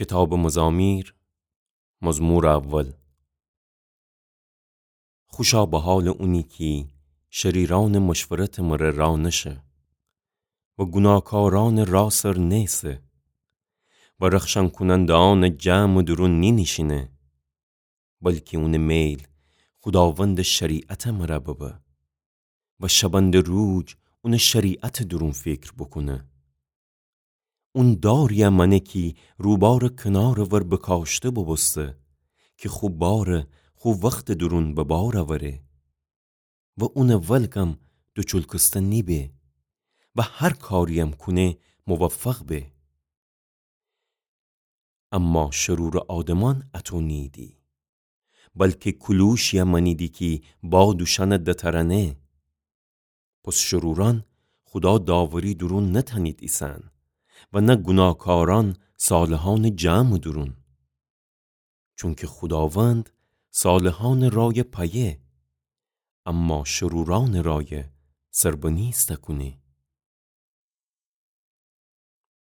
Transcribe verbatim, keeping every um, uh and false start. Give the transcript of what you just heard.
کیتابٚ مزامیر، مزمورٚ اول. خوشا به حالٚ اونی کی شریرأنٚ مشورتٚ مره را نشه و گوناکارأنٚ را سر نیسه و رخشن کونندهأنٚ جمعٚ دورون نینیشینه، بلکی اونٚ میل خوداوندٚ شریعتٚ مره ببه و شبنده روج اونٚ شریعتٚ دورون فیکر بوکونه. اون داریی مأنه کی روبارٚ کنارٚ ور بکاشته بوبوسته کی خو بارٚ خو وختٚ دورون به بار اوره و اونٚ ولگم دوچولکسته نیبه و هر کارییم کونه موفق به. اما شرورٚ آدمأن اطو نییدی، بلکی کولوشیی مأنیدی کی باد اوشأن دترأنه. پس شرورأن خودا داوری دورون نتأنید ایسن و نه گوناکارأن صالحأنٚ جمعٚ دورون. چونکی خوداوند صالحأنٚ رای پأیه، اما شرورأنٚ رای سربنیسته کونه.